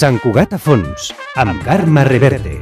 Sant Cugat a fons, amb Carme Reverte.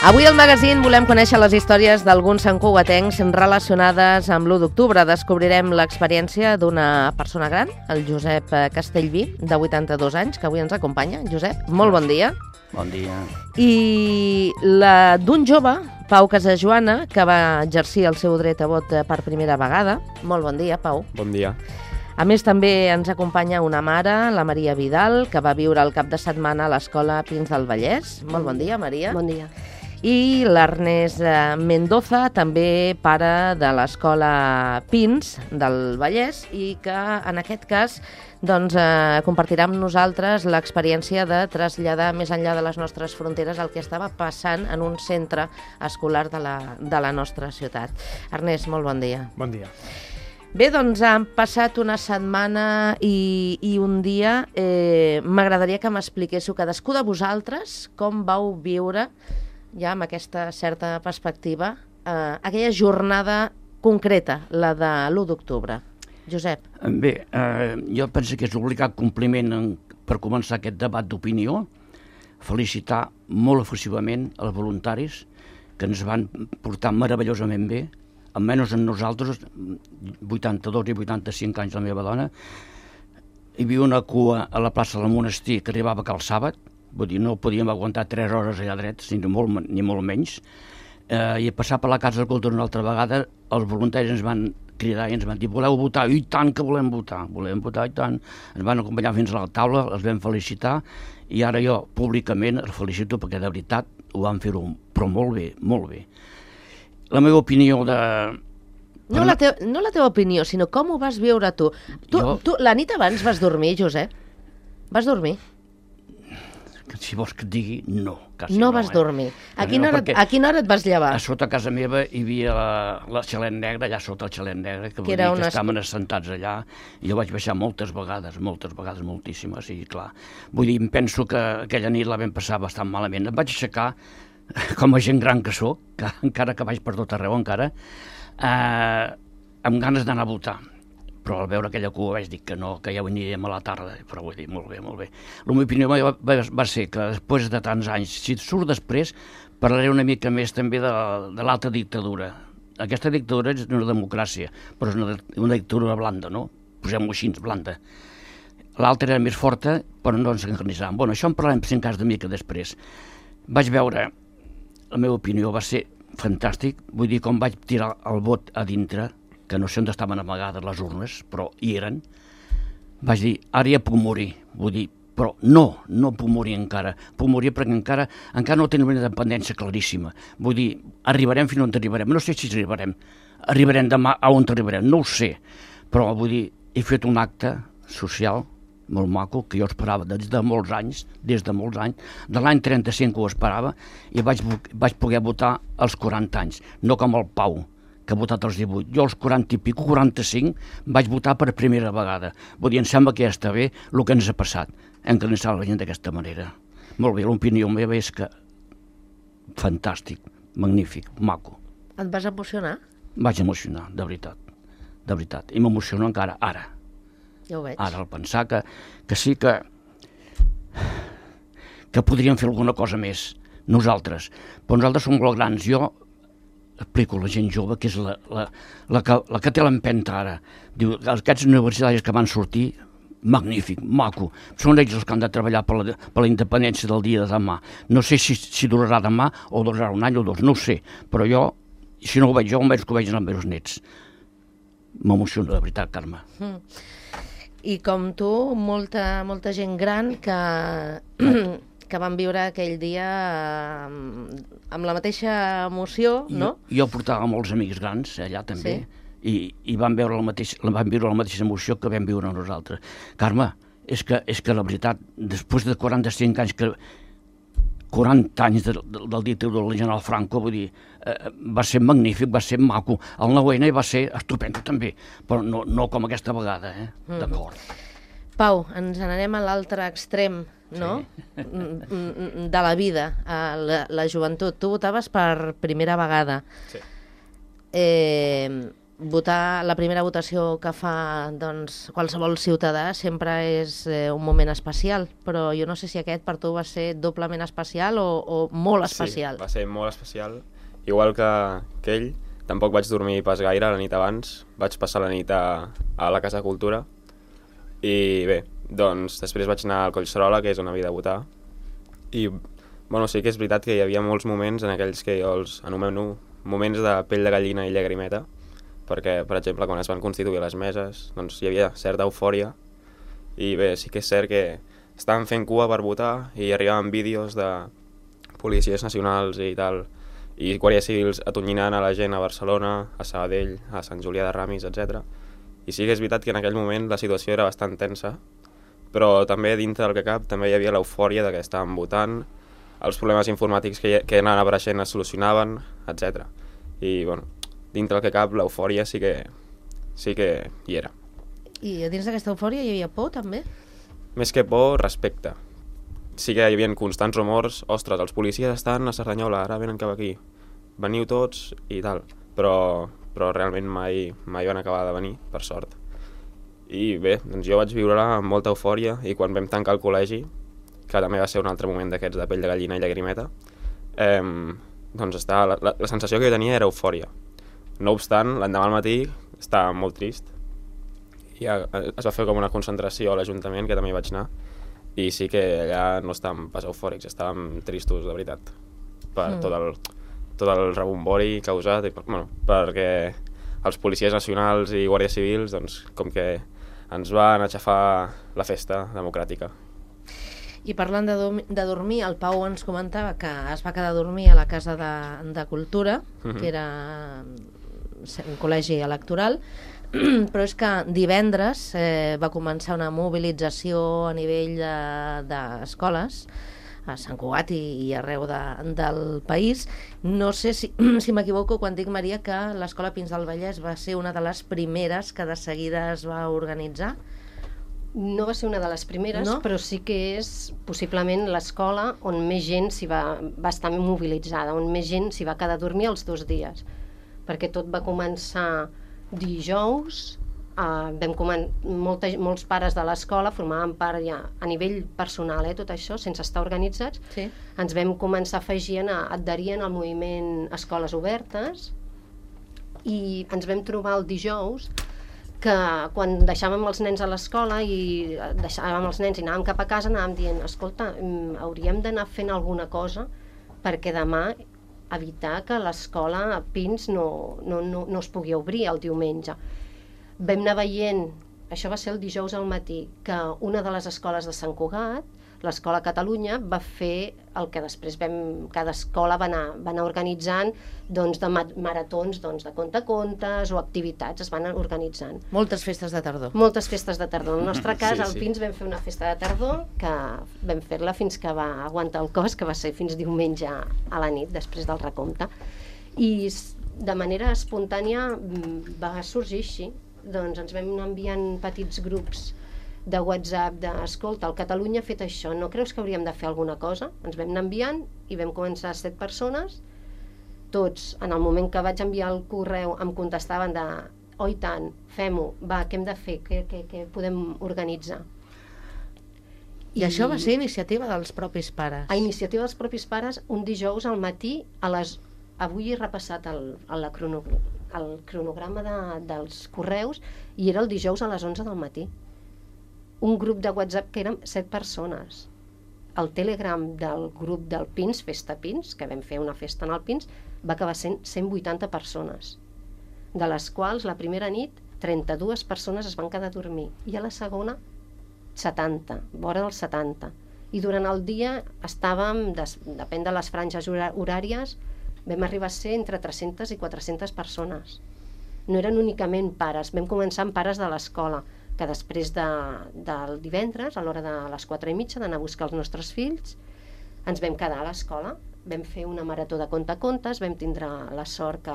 Avui al magazín volem conèixer les històries d'alguns santcugatencs relacionades amb l'1 d'octubre. Descobrirem l'experiència d'una persona gran, el Josep Castellví, de 82 anys, que avui ens acompanya. Josep, molt bon dia. Bon dia. I la d'un jove, Pau Casajoana, que va exercir el seu dret a vot per primera vegada. Molt bon dia, Pau. Bon dia. A més, també ens acompanya una mare, la Maria Vidal, que va viure el cap de setmana a l'escola Pins del Vallès. Molt bon dia, Maria. Bon dia. I l'Ernest Mendoza, també pare de l'escola Pins del Vallès, i que en aquest cas compartirà amb nosaltres l'experiència de traslladar més enllà de les nostres fronteres el que estava passant en un centre escolar de la nostra ciutat. Ernest, molt bon dia. Bon dia. Bé, doncs han passat una setmana i un dia. M'agradaria que m'expliquéssiu cadascú de vosaltres com vau viure, ja amb aquesta certa perspectiva, aquella jornada concreta, la de l'1 d'octubre. Josep. Bé, jo penso que és obligat compliment per començar aquest debat d'opinió, felicitar molt efusivament els voluntaris que ens van portar meravellosament bé, almenys en nosaltres, 82 i 85 anys la meva dona. Hi havia una cua a la plaça del Monestir que arribava cal sàbat, vull dir, no podíem aguantar 3 hores allà drets, ni molt menys. I a passar per la Casa de Cultura una altra vegada, els voluntaris ens van cridar i ens van dir: voleu votar? I tant que volem votar i tant. Ens van acompanyar fins a la taula, els vam felicitar, i ara jo públicament els felicito perquè de veritat ho van fer-ho, però molt bé, molt bé. La meva opinió de... No la teva opinió, sinó com ho vas viure tu. Tu la nit abans vas dormir, Josep? Vas dormir? Si vols que et digui, no. No vas dormir. A quina hora et vas llevar? A sota casa meva hi havia la Xalet Negra, allà sota el Xalet Negra, que vol dir que estaven assentats allà, i jo vaig baixar moltes vegades, moltíssimes, i clar. Vull dir, em penso que aquella nit la vam passar bastant malament. Em vaig aixecar, com a gent gran que sóc, que encara que vaig per tot arreu encara, amb ganes d'anar a votar. Però al veure aquella cua vaig dir que no, que ja ho aniríem a la tarda, però vull dir, molt bé. La meva opinió va ser que després de tants anys, si surt després, parlaré una mica més també de l'altra dictadura. Aquesta dictadura és una democràcia, però és una dictadura blanda, no? Posem-ho així, blanda. L'altra era més forta, però no ens encarnissàvem. Bueno, això en parlarem 5 anys de mica després. Vaig veure, la meva opinió va ser fantàstic, vull dir, com vaig tirar el vot a dintre, que no sé on estaven amagades les urnes, però hi eren, vaig dir, ara ja puc morir, vull dir, però no puc morir encara, puc morir perquè encara no tenim una independència claríssima, vull dir, arribarem fins on arribarem, no sé si arribarem demà a on arribarem, no ho sé, però vull dir, he fet un acte social molt maco, que jo esperava des de molts anys, de l'any 35 ho esperava, i vaig poder votar als 40 anys, no com el Pau, que ha votat als 18. Jo als 40 i pico, 45, vaig votar per primera vegada. Vull dir, em sembla que ja està bé el que ens ha passat, encarnissar la gent d'aquesta manera. Molt bé, l'opinió meva és que fantàstic, magnífic, maco. Et vas emocionar? Vaig emocionar, de veritat, i m'emociono encara ara. Ja ho veig. Ara, al pensar que sí que podríem fer alguna cosa més, nosaltres. Però nosaltres som molt grans. Jo explico a la gent jove, que és la que té l'empenta ara. Diu, aquests universitaris que van sortir, magnífic, maco. Són ells els que han de treballar per la independència del dia de demà. No sé si durarà demà o durarà un any o dos, no ho sé. Però jo, si no ho veig jo, almenys que ho vegin els meus nets. M'emociono, de veritat, Carme. I com tu, molta gent gran que van viure aquell dia amb la mateixa emoció, no? Jo portava molts amics grans allà també, i van viure la mateixa emoció que vam viure nosaltres. Carme, és que la veritat, després de 45 anys 40 anys del dictadura del general Franco, vull dir, va ser magnífic, va ser maco. El 9-N va ser estupendo també, però no com aquesta vegada, d'acord. Pau, ens n'anem a l'altre extrem, no? De la vida, a la joventut. Tu votaves per primera vegada. Sí. Votar, la primera votació que fa qualsevol ciutadà sempre és un moment especial, però jo no sé si aquest per tu va ser doblement especial o molt especial. Sí, va ser molt especial. Igual que ell, tampoc vaig dormir pas gaire la nit abans, vaig passar la nit a la Casa de Cultura i bé, doncs després vaig anar al Collserola, que és on havia de votar, i bueno, sí que és veritat que hi havia molts moments en aquells que jo els anomeno moments de pell de gallina i llagrimeta, perquè, per exemple, quan es van constituir les meses, doncs hi havia certa eufòria, i bé, sí que és cert que estaven fent cua per votar i arribaven vídeos de policies nacionals i tal, i guàrdies civils atonyinant a la gent a Barcelona, a Sabadell, a Sant Julià de Ramis, etc. I sí que és veritat que en aquell moment la situació era bastant tensa, però també dintre del que cap també hi havia l'eufòria de que estàvem votant, els problemes informàtics que anaven apareixent es solucionaven, etc. I, bueno, dintre del que cap, l'eufòria sí que hi era. I dins d'aquesta eufòria hi havia por, també? Més que por, respecte. Sí que hi havia constants rumors, ostres, els policies estan a Cerdanyola, ara venen cap aquí, veniu tots i tal, però realment mai van acabar de venir, per sort. I bé, doncs jo vaig viure-la amb molta eufòria, i quan vam tancar el col·legi, que també va ser un altre moment d'aquests de pell de gallina i llagrimeta, doncs la sensació que jo tenia era eufòria. No obstant, l'endemà al matí estava molt trist, i es va fer com una concentració a l'Ajuntament, que també hi vaig anar, i sí que allà no estàvem pas eufòrics, estàvem tristos, de veritat, per tot el rebombori causat, perquè els policies nacionals i guàrdies civils, doncs, com que ens van aixafar la festa democràtica. I parlant de dormir, el Pau ens comentava que es va quedar a dormir a la Casa de Cultura, que era un col·legi electoral, però és que divendres va començar una mobilització a nivell d'escoles, a Sant Cugat i arreu del país. No sé si m'equivoco quan dic, Maria, que l'Escola Pins del Vallès va ser una de les primeres que de seguida es va organitzar. No va ser una de les primeres, no? Però sí que és possiblement l'escola on més gent va estar mobilitzada, on més gent s'hi va quedar a dormir els 2 dies, perquè tot va començar dijous, molts pares de l'escola formaven part ja a nivell personal, tot això, sense estar organitzats, sí. Ens vam començar a afegir a adherir al moviment Escoles Obertes, i ens vam trobar el dijous que quan deixàvem els nens a l'escola i anàvem cap a casa, anàvem dient, escolta, hauríem d'anar fent alguna cosa perquè demà evitar que l'escola Pins no es pugui obrir el diumenge. Vam anar veient, això va ser el dijous al matí, que una de les escoles de Sant Cugat, l'escola Catalunya va fer el que després cada escola va anar organitzant doncs, de maratons doncs, de contacontes o activitats, es van organitzant. Moltes festes de tardor. Moltes festes de tardor. En el nostre cas, Sí, al sí. Pins vam fer una festa de tardor que vam fer-la fins que va aguantar el cos, que va ser fins diumenge a la nit, després del recompte. I de manera espontània va sorgir així. Doncs ens vam anar enviant petits grups de WhatsApp d'escolta, el Catalunya ha fet això, no creus que hauríem de fer alguna cosa? Ens vam anar enviant i vam començar 7 persones, tots, en el moment que vaig enviar el correu em contestaven de oh i tant, fem-ho, va, què hem de fer, què podem organitzar? I això va ser iniciativa dels propis pares. A iniciativa dels propis pares, un dijous al matí, avui he repassat el cronograma dels correus i era el dijous a les 11 del matí. Un grup de WhatsApp que érem 7 persones. El Telegram del grup del Pins, Festa Pins, que vam fer una festa en el Pins, va acabar sent 180 persones, de les quals la primera nit 32 persones es van quedar a dormir i a la segona 70, vora dels 70. I durant el dia estàvem, depèn de les franges horàries, vam arribar a ser entre 300 i 400 persones. No eren únicament pares, vam començar amb pares de l'escola, que després del divendres, a l'hora de les 4:30, d'anar a buscar els nostres fills, ens vam quedar a l'escola, vam fer una marató de contacontes, vam tindre la sort que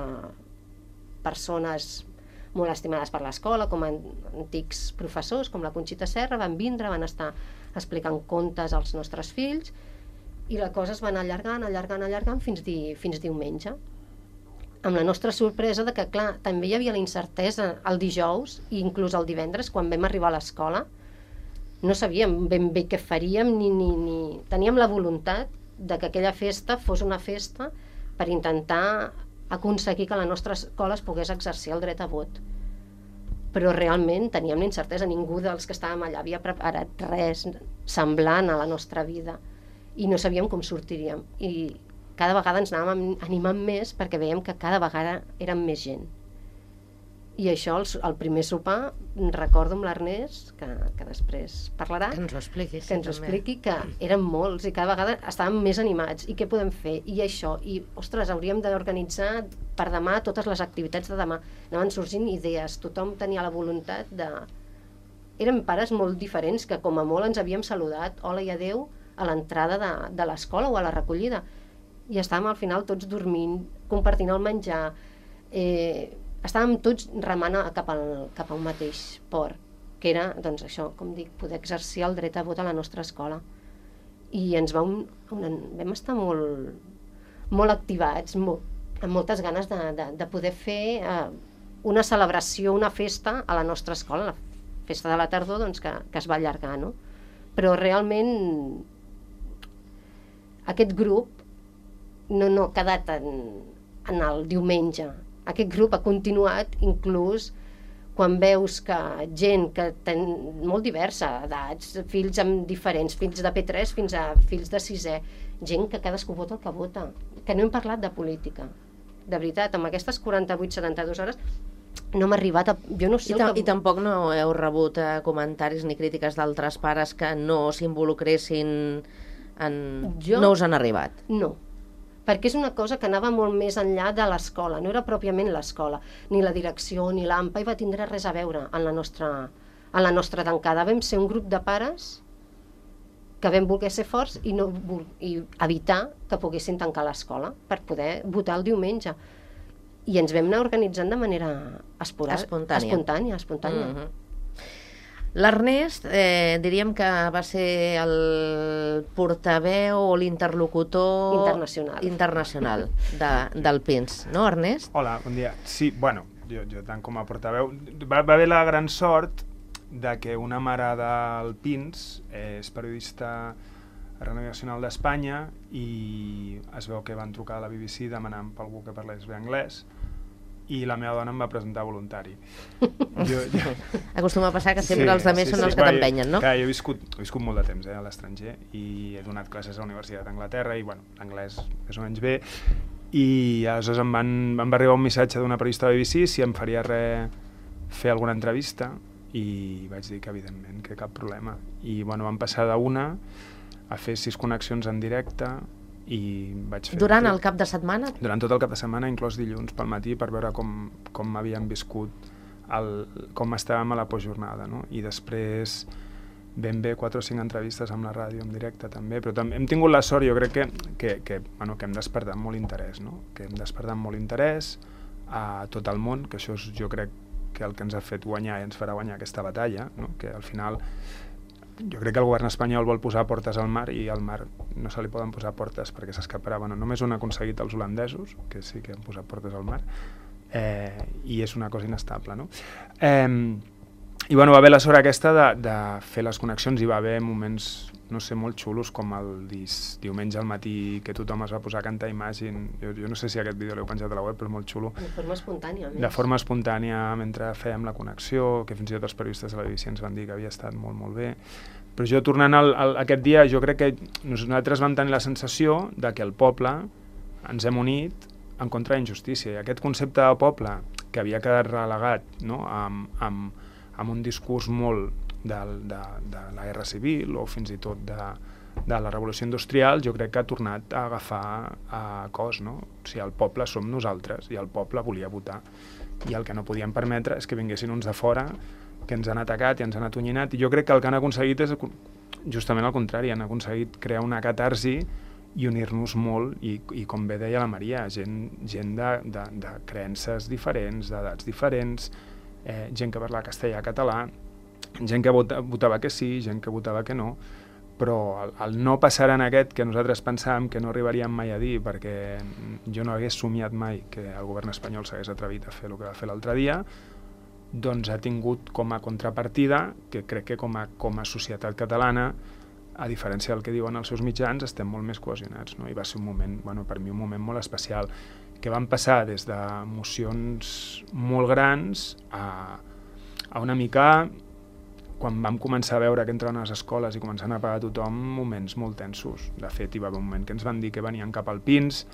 persones molt estimades per l'escola, com antics professors, com la Conxita Serra, van vindre, van estar explicant contes als nostres fills, i la cosa es va anar allargant fins diumenge. Amb la nostra sorpresa de que, clar, també hi havia la incertesa el dijous i inclús el divendres, quan vam arribar a l'escola, no sabíem ben bé què faríem, ni teníem la voluntat de que aquella festa fos una festa per intentar aconseguir que la nostra escola es pogués exercir el dret a vot. Però realment teníem la incertesa, ningú dels que estàvem allà havia preparat res semblant a la nostra vida i no sabíem com sortiríem. I cada vegada ens anàvem animant més perquè veiem que cada vegada érem més gent. I això, el primer sopar, recordo amb l'Ernest, que després parlarà, Que ens ho expliqui. que ens ho expliqui, que érem molts i cada vegada estàvem més animats. I què podem fer? I això. I, ostres, hauríem d'organitzar per demà totes les activitats de demà. Anaven sorgint idees, tothom tenia la voluntat de... Érem pares molt diferents que com a molt ens havíem saludat, hola i adeu, a l'entrada de l'escola o a la recollida. I estàvem al final tots dormint, compartint el menjar, estàvem tots remant cap a un mateix port, que era, doncs això, com dic, poder exercir el dret a vot a la nostra escola. I vam estar molt activats, amb moltes ganes de poder fer una celebració, una festa a la nostra escola, la festa de la tardor, doncs, que es va allargar, no? Però realment aquest grup no ha quedat en el diumenge. Aquest grup ha continuat inclús quan veus que gent que molt diversa, edats, fills amb diferents, fills de P3 fins a fills de 6è, gent que cadascú vota el que vota, que no hem parlat de política. De veritat, amb aquestes 48-72 hores no hem arribat a... Jo no sé I tampoc no heu rebut comentaris ni crítiques d'altres pares que no s'involucressin en... No us han arribat? No, perquè és una cosa que anava molt més enllà de l'escola, no era pròpiament l'escola, ni la direcció, ni l'AMPA, hi va tindre res a veure en la nostra tancada. Vam ser un grup de pares que vam voler ser forts i evitar que poguessin tancar l'escola per poder votar el diumenge. I ens vam anar organitzant de manera espontània. Mm-hmm. L'Ernest, diríem que va ser el portaveu o l'interlocutor internacional del Pins, no, Ernest? Hola, bon dia. Sí, bueno, jo tant com a portaveu, va haver la gran sort de que una mare del Pins és periodista a Ràdio Nacional d'Espanya i es veu que van trucar a la BBC demanant per algú que parlés bé anglès i la meva dona em va presentar voluntari. Acostuma a passar que sempre els altres són els que t'empenyen, no? Clar, jo he viscut molt de temps a l'estranger i he donat classes a la Universitat d'Anglaterra i, bueno, l'anglès més o menys bé, i aleshores em va arribar un missatge d'una periodista de BBC si em faria fer alguna entrevista i vaig dir que evidentment, que cap problema. I, bueno, vam passar d'una a fer 6 connexions en directe i vaig fer... Durant el cap de setmana? Durant tot el cap de setmana, inclòs dilluns pel matí, per veure com havíem viscut, com estàvem a la postjornada, no? I després ben bé 4 o 5 entrevistes amb la ràdio en directe també, però també hem tingut la sort, jo crec que hem despertat molt interès, no? Que hem despertat molt interès a tot el món, que això és, jo crec que el que ens ha fet guanyar i ens farà guanyar aquesta batalla, no? Que al final jo crec que el govern espanyol vol posar portes al mar i al mar no se li poden posar portes perquè s'escaparà. Bueno, només ho han aconseguit els holandesos, que sí que han posat portes al mar, i és una cosa inestable, no? I bueno, va haver la sort aquesta de fer les connexions, i va haver moments, no sé, molt xulos, com el diumenge al matí que tothom es va posar a cantar Imagine. Jo no sé si aquest vídeo l'heu penjat a la web, però és molt xulo. De forma espontània. De forma espontània, mentre fèiem la connexió, que fins i tot els periodistes de la BBC ens van dir que havia estat molt, molt bé. Però jo, tornant aquest dia, jo crec que nosaltres vam tenir la sensació de que el poble ens hem unit en contra de la injustícia. I aquest concepte de poble, que havia quedat relegat, no?, amb un discurs molt de la guerra civil o fins i tot de la revolució industrial, jo crec que ha tornat a agafar cos, no? O sigui, el poble som nosaltres i el poble volia votar. I el que no podíem permetre és que vinguessin uns de fora que ens han atacat i ens han atonyinat, i jo crec que el que han aconseguit és justament el contrari, han aconseguit crear una catarsi i unir-nos molt, i com bé deia la Maria, gent de creences diferents, d'edats diferents, gent que parla castellà, català, gent que votava que sí, gent que votava que no, però el no passar en aquest que nosaltres pensàvem que no arribaríem mai a dir, perquè jo no hagués somiat mai que el govern espanyol s'hagués atrevit a fer el que va fer l'altre dia, doncs ha tingut com a contrapartida que crec que com a societat catalana, a diferència del que diuen els seus mitjans, estem molt més cohesionats, no? I va ser un moment, bueno, per mi un moment molt especial, que van passar des d'emocions molt grans a una mica, quan vam començar a veure que entraven a les escoles i començant a pagar tothom, moments molt tensos. De fet, hi va haver un moment que ens van dir que venien cap al Pins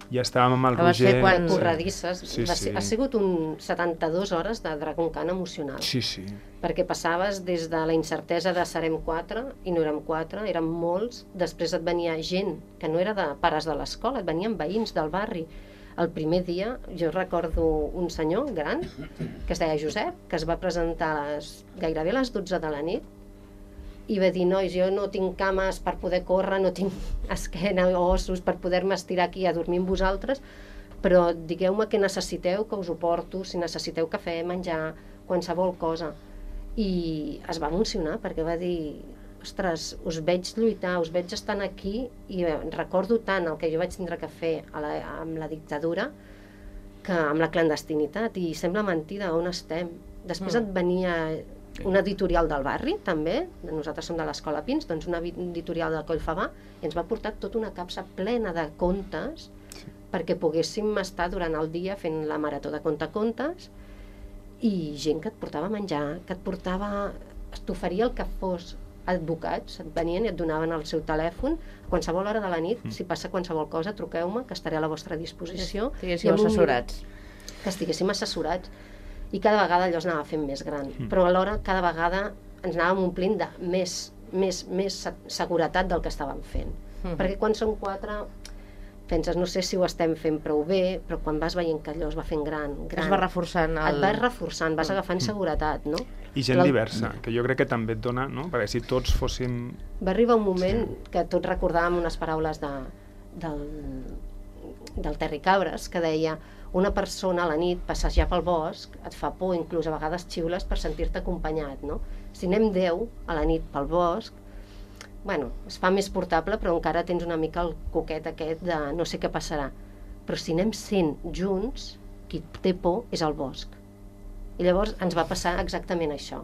i estàvem amb el Roger... Quan corredisses. Sí. Ha sigut 72 hores de Dragon Khan emocional. Sí. Perquè passaves des de la incertesa de serem 4, i no érem 4, érem molts. Després et venia gent que no era de pares de l'escola, et venien veïns del barri. El primer dia, jo recordo un senyor gran, que es deia Josep, que es va presentar gairebé a les 12 de la nit, i va dir, nois, jo no tinc cames per poder córrer, no tinc esquena o ossos per poder-me estirar aquí a dormir amb vosaltres, però digueu-me què necessiteu, que us ho porto, si necessiteu cafè, menjar, qualsevol cosa. I es va emocionar, perquè va dir, ostres, us veig lluitar, us veig estant aquí, i recordo tant el que jo vaig tindre que fer amb la dictadura que amb la clandestinitat, i sembla mentida on estem. Després et venia una editorial del barri, també, nosaltres som de l'Escola Pins, doncs una editorial de Collfabà, i ens va portar tota una capsa plena de contes perquè poguéssim estar durant el dia fent la marató de contacontes, i gent que et portava menjar, que t'oferia el que fos, advocats, et venien i et donaven el seu telèfon a qualsevol hora de la nit, si passa qualsevol cosa truqueu-me, que estaré a la vostra disposició. Que estiguéssim assessorats. I cada vegada allò es anava fent més gran, però alhora cada vegada ens anàvem omplint de més seguretat del que estàvem fent. Perquè quan som 4 penses, no sé si ho estem fent prou bé, però quan vas veient que allò es va fent gran... Es va reforçant. Et vas reforçant, vas agafant seguretat, no? I gent diversa, que jo crec que també et dona, no? Perquè si tots fóssim... Va arribar un moment que tots recordàvem unes paraules del Terry Cabres, que deia, una persona a la nit passejar pel bosc et fa por, inclús a vegades xiules per sentir-te acompanyat, no? Si anem 10 a la nit pel bosc, bueno, es fa més portable, però encara tens una mica el coquet aquest de no sé què passarà. Però si anem 100 junts, qui té por és el bosc. I llavors ens va passar exactament això.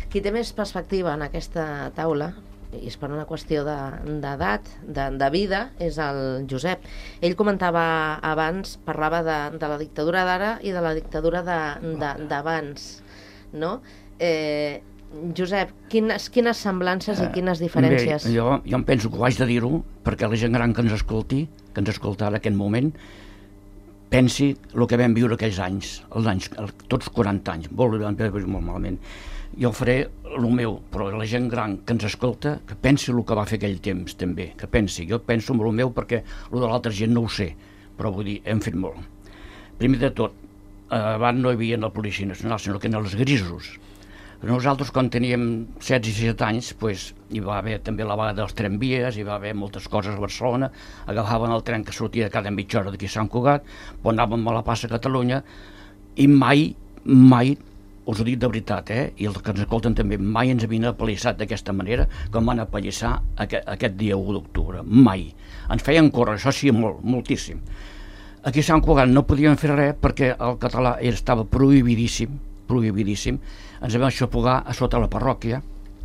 Qui té més perspectiva en aquesta taula, i és per una qüestió d'edat, de vida, és el Josep. Ell comentava abans, parlava de la dictadura d'ara i de la dictadura d'abans, no? Josep, quines semblances i quines diferències? Bé, jo em penso que ho haig de dir-ho perquè la gent gran que ens escolti, que ens escolta en aquest moment, pensi el que vam viure aquells anys, tots 40 anys, molt malament. jo faré el meu, però la gent gran que ens escolta, que pensi el que va fer aquell temps també, que pensi, jo penso en el meu perquè el de l'altra gent no ho sé, però vull dir, hem fet molt. Primer de tot, abans no hi havia la Policia Nacional, sinó que eren els grisos. Nosaltres, quan teníem 16 i 17 anys, hi va haver també la vaga dels tramvies, hi va haver moltes coses a Barcelona, agafaven el tren que sortia cada mitja hora d'aquí a Sant Cugat, anàvem a la plaça Catalunya, i mai, us ho dic de veritat, i els que ens escolten també, mai ens havien apallissat d'aquesta manera com van apallissar aquest dia 1 d'octubre, mai. Ens feien córrer, això sí, moltíssim. Aquí a Sant Cugat no podíem fer res perquè el català estava prohibidíssim, ens vam aixofogar a sota la parròquia,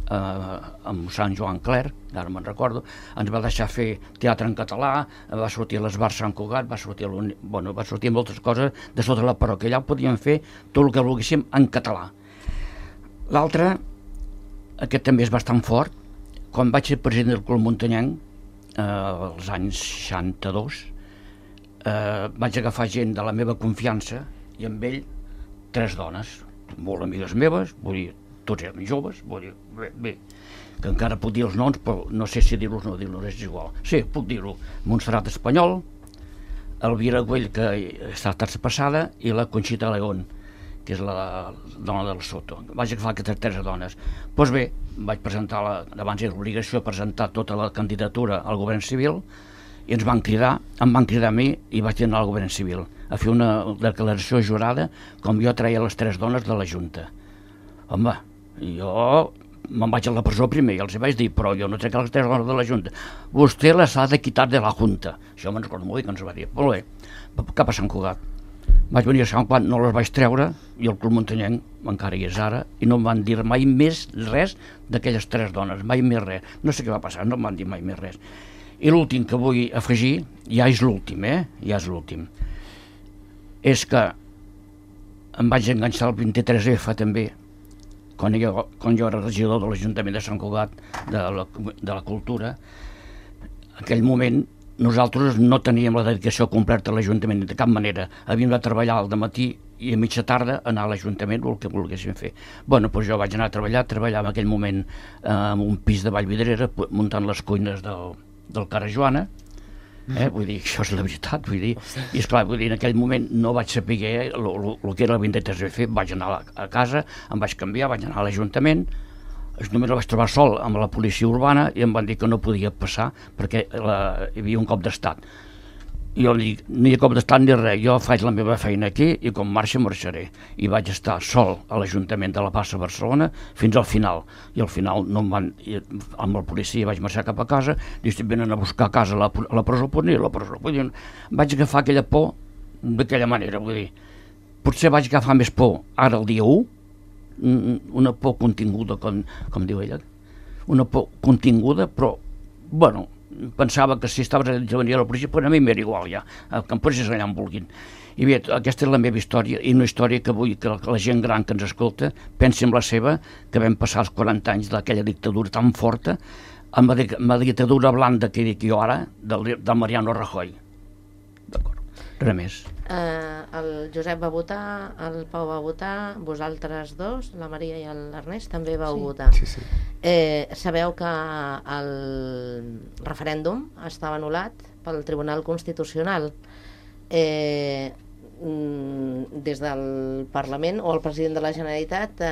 amb Sant Joan Cler, ara me'n recordo, ens va deixar fer teatre en català, va sortir a l'Esbar Sant Cugat, va sortir moltes coses de sota la parròquia, allà podíem fer tot el que volguéssim en català. L'altre, aquest també és bastant fort, quan vaig ser president del Club Muntanyenc, als anys 62, vaig agafar gent de la meva confiança i amb ell 3 dones, molt amigues meves, vull dir, tots eren joves, vull dir, bé, que encara puc dir els noms, però no sé si dir-los o no dir-los, és igual. Sí, puc dir-ho. Montserrat Espanyol, Elvira Güell, que està traspassada, i la Conxita León, que és la dona del Soto. Vaig agafar aquestes 3 dones. Doncs bé, vaig presentar, abans era l'obligació presentar tota la candidatura al govern civil, i em van cridar a mi i vaig anar al govern civil a fer una declaració jurada com jo treia les 3 dones de la Junta. Home, jo me'n vaig a la presó primer i els vaig dir, però jo no trec les 3 dones de la Junta. Vostè les ha de quitar de la Junta. Això me'n recordo molt bé que ens va dir. Molt bé, cap a Sant Cugat. Vaig venir a Sant Cugat, no les vaig treure, i el Club Muntanyenc encara hi és ara, i no em van dir mai més res d'aquelles 3 dones, mai més res. No sé què va passar, no em van dir mai més res. I l'últim que vull afegir, ja és l'últim, ja és l'últim. És que em vaig enganxar el 23F també, quan jo era regidor de l'Ajuntament de Sant Cugat, de la Cultura. En aquell moment nosaltres no teníem la dedicació completa a l'Ajuntament de cap manera. Havíem de treballar al dematí i a mitja tarda anar a l'Ajuntament o el que volguéssim fer. Bueno, doncs jo vaig anar a treballava en aquell moment en un pis de Vallvidrera, muntant les cuines del Cara Joana, vull dir, això és la veritat, vull dir, i esclar, vull dir, en aquell moment no vaig saber el que era el 23F, vaig anar a casa, em vaig canviar, vaig anar a l'Ajuntament, només el vaig trobar sol amb la policia urbana i em van dir que no podia passar perquè hi havia un cop d'estat. I jo dic, ni cop d'estat ni res, jo faig la meva feina aquí i quan marxaré. I vaig estar sol a l'Ajuntament de la Plaça Barcelona fins al final. I al final no em van, amb el policia vaig marxar cap a casa, i estic venint a buscar a casa a la presó, pues ni a la presó. Vaig agafar aquella por d'aquella manera, vull dir. Potser vaig agafar més por ara el dia 1, una por continguda, com diu ella, una por continguda, però, bueno, pensava que si estaves a venir a la policia, però a mi m'era igual ja, que em posés allà on vulguin. I bé, aquesta és la meva història, i una història que vull que la gent gran que ens escolta pensi en la seva, que vam passar els 40 anys d'aquella dictadura tan forta, amb la dictadura blanda que dic jo ara, del Mariano Rajoy. D'acord, res més. El Josep va votar, el Pau va votar, vosaltres dos, la Maria i l'Ernest, també vau votar. Sí. Sabeu que el referèndum estava anul·lat pel Tribunal Constitucional. Des del Parlament o el president de la Generalitat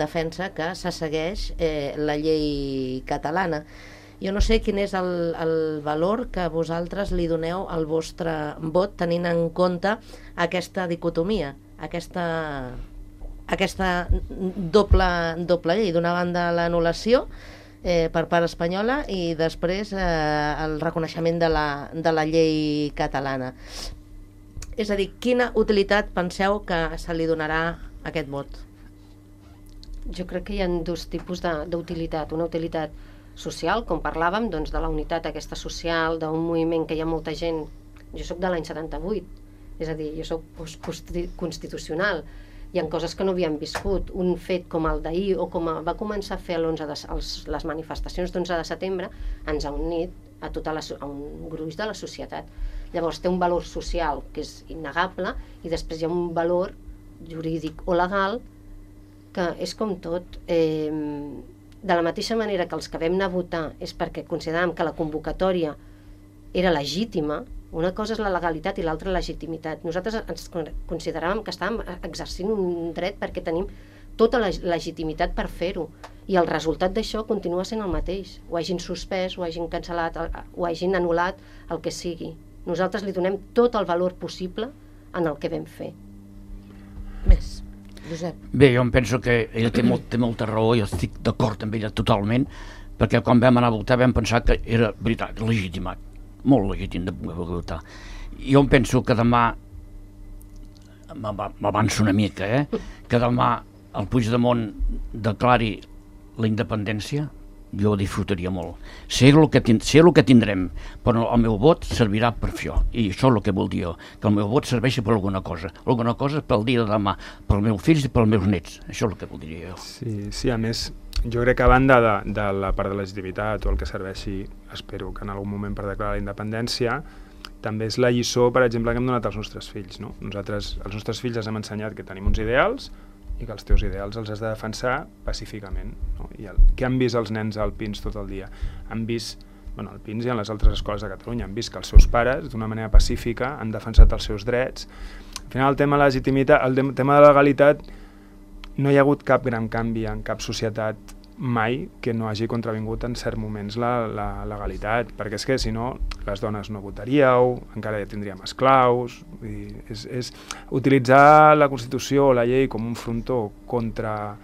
defensa que se segueix la llei catalana. Jo no sé quin és el valor que vosaltres li doneu al vostre vot tenint en compte aquesta dicotomia, aquesta doble llei. D'una banda l'anul·lació per part espanyola i després el reconeixement de la llei catalana. És a dir, quina utilitat penseu que se li donarà a aquest vot? Jo crec que hi ha 2 tipus d'utilitat. Una utilitat social, com parlàvem, doncs de la unitat aquesta social, d'un moviment que hi ha molta gent. Jo sóc de l'any 78, és a dir, jo sóc postconstitucional. Hi ha coses que no havíem viscut. Un fet com el d'ahir, o com va començar a fer les manifestacions d'11 de setembre, ens ha unit a un gruix de la societat. Llavors té un valor social que és innegable i després hi ha un valor jurídic o legal que és com tot. De la mateixa manera que els que vam anar a votar és perquè consideràvem que la convocatòria era legítima, una cosa és la legalitat i l'altra la legitimitat. Nosaltres ens consideràvem que estàvem exercint un dret perquè tenim tota la legitimitat per fer-ho. I el resultat d'això continua sent el mateix. Ho hagin suspès, ho hagin cancel·lat, ho hagin anul·lat, el que sigui. Nosaltres li donem tot el valor possible en el que vam fer. Més. Josep. Bé, jo em penso que ella té molta raó, jo estic d'acord amb ella totalment, perquè quan vam anar a votar vam pensar que era veritat, legitimat, molt legítim de votar. Jo em penso que demà, m'avanço una mica, que demà el Puigdemont declari la independència, jo ho disfrutaria molt. Sé el que tindrem, però el meu vot servirà per això, i això és el que vol dir jo, que el meu vot serveixi per alguna cosa pel dia de demà, pels meus fills i pels meus nets, això és el que voldria jo. Sí, a més, jo crec que a banda de la part de legitimitat o el que serveixi, espero que en algun moment per declarar la independència, també és la lliçó, per exemple, que hem donat als nostres fills, no? Nosaltres, als nostres fills els hem ensenyat que tenim uns ideals i que els teus ideals els has de defensar pacíficament, no? I què han vist els nens al Pins tot el dia? Han vist, al Pins i en les altres escoles de Catalunya, han vist que els seus pares, d'una manera pacífica, han defensat els seus drets. Al final, el tema de legitimitat, el tema de legalitat, no hi ha hagut cap gran canvi en cap societat mai que no hagi contravingut en certs moments la legalitat, perquè és que si no les dones no votaríeu, encara ja tindríem esclaus, és utilitzar la Constitució o la llei com un frontó contra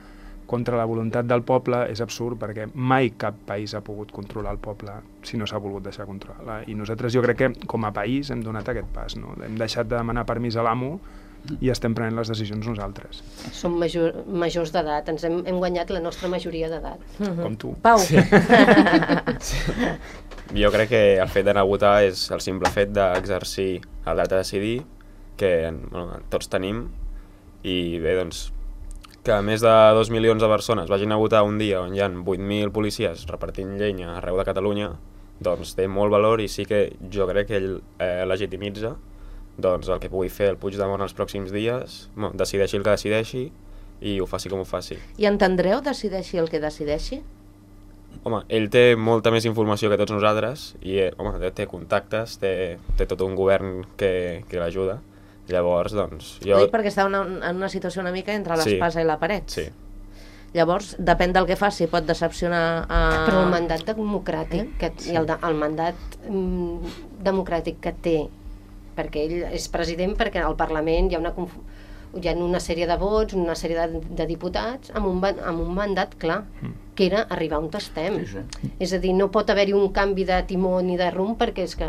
la voluntat del poble és absurd, perquè mai cap país ha pogut controlar el poble si no s'ha volgut deixar controlar. I nosaltres jo crec que com a país hem donat aquest pas, no? Hem deixat de demanar permís a l'amo i estem prenent les decisions nosaltres. Som majors d'edat, ens hem guanyat la nostra majoria d'edat. Com tu. Pau. Sí. Jo crec que el fet d'anar a votar és el simple fet d'exercir el dret a decidir que tots tenim, i bé, doncs, que més de 2 milions de persones vagin a votar un dia on hi ha 8.000 policies repartint llenya arreu de Catalunya, doncs té molt valor, i sí que jo crec que ell legitimitza doncs el que pugui fer el Puigdemont els pròxims dies, decideixi el que decideixi i ho faci com ho faci. I entendreu decideixi el que decideixi? Home, ell té molta més informació que tots nosaltres i té contactes, té tot un govern que l'ajuda. Llavors, doncs... Ho dic perquè està en una situació una mica entre l'espasa i la paret. Sí. Llavors, depèn del que faci, pot decepcionar... Però el mandat democràtic i el mandat democràtic que té, perquè ell és president, perquè al Parlament hi ha una sèrie de vots, una sèrie de diputats amb un mandat clar, que era arribar on estem. Sí. És a dir, no pot haver-hi un canvi de timó ni de rumb, perquè és que...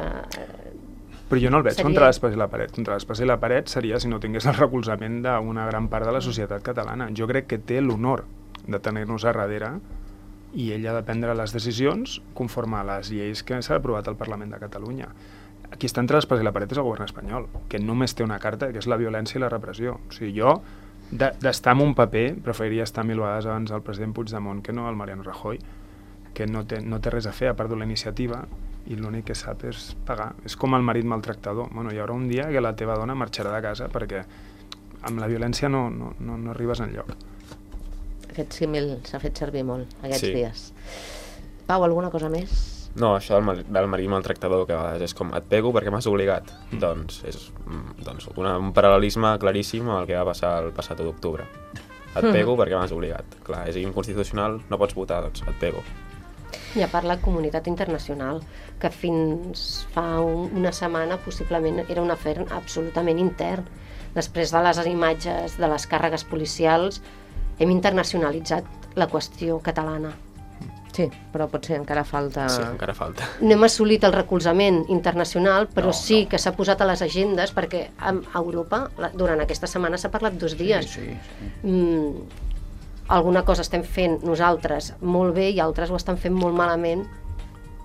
Però jo no el veig contra l'espasa i la paret. Contra l'espasa i la paret seria si no tingués el recolzament d'una gran part de la societat catalana. Jo crec que té l'honor de tenir-nos a darrere i ell ha de prendre les decisions conforme a les lleis que s'ha aprovat al Parlament de Catalunya. Qui està entre l'espasa i la paret és el govern espanyol, que només té una carta, que és la violència i la repressió. O sigui, jo, d'estar en un paper, preferiria estar 1000 vegades abans el president Puigdemont que no el Mariano Rajoy, que no té res a fer, a part de la iniciativa, i l'únic que sap és pagar. És com el marit maltractador. Bueno, hi haurà un dia que la teva dona marxarà de casa perquè amb la violència no arribes enlloc. Aquest símil s'ha fet servir molt aquests dies. Pau, alguna cosa més? No, això del marit maltractador, que és com et pego perquè m'has obligat, doncs és un paral·lelisme claríssim al que va passar el passat 1 d'octubre. Et pego perquè m'has obligat. Clar, és inconstitucional, no pots votar, doncs et pego. I a part la comunitat internacional, que fins fa una setmana possiblement era un afer absolutament intern. Després de les imatges de les càrregues policials hem internacionalitzat la qüestió catalana. Sí, però potser encara falta... Sí, encara falta. No hem assolit el recolzament internacional, però sí que s'ha posat a les agendes, perquè a Europa durant aquesta setmana s'ha parlat 2 dies. Alguna cosa estem fent nosaltres molt bé i altres ho estan fent molt malament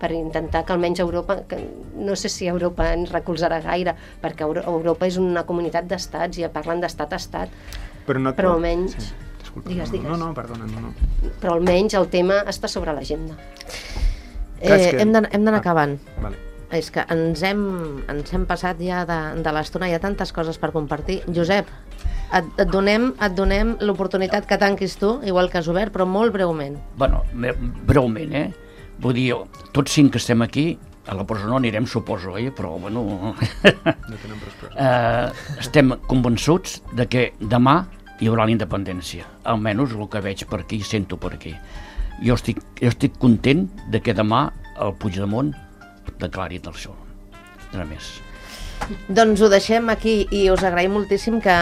per intentar que almenys Europa, que no sé si Europa ens recolzarà gaire, perquè Europa és una comunitat d'estats i parlen d'estat a estat, però almenys... Sí. Digues. No, perdona, no. Però almenys el tema està sobre l'agenda. Hem d'anar acabant. Vale. És que ens hem passat ja de l'estona, hi ha tantes coses per compartir. Josep, et donem l'oportunitat que tanquis tu, igual que has obert, però molt breument. Bueno, breument, Vull dir, tots 5 que estem aquí, a la presó no anirem, suposo, però, bueno... No tenen pressió. Estem convençuts de que demà hi haurà la independència, almenys el que veig per aquí i sento per aquí. Jo estic content de que demà el Puigdemont declari el seu. Res més. Doncs ho deixem aquí i us agraïm moltíssim que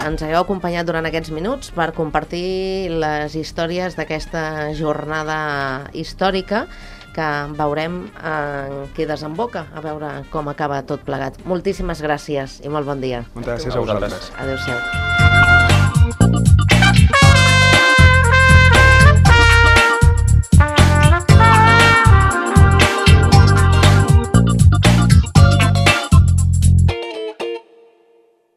ens hagueu acompanyat durant aquests minuts per compartir les històries d'aquesta jornada històrica que veurem en què desemboca, a veure com acaba tot plegat. Moltíssimes gràcies i molt bon dia. Moltes gràcies a vosaltres. Adéu-siau.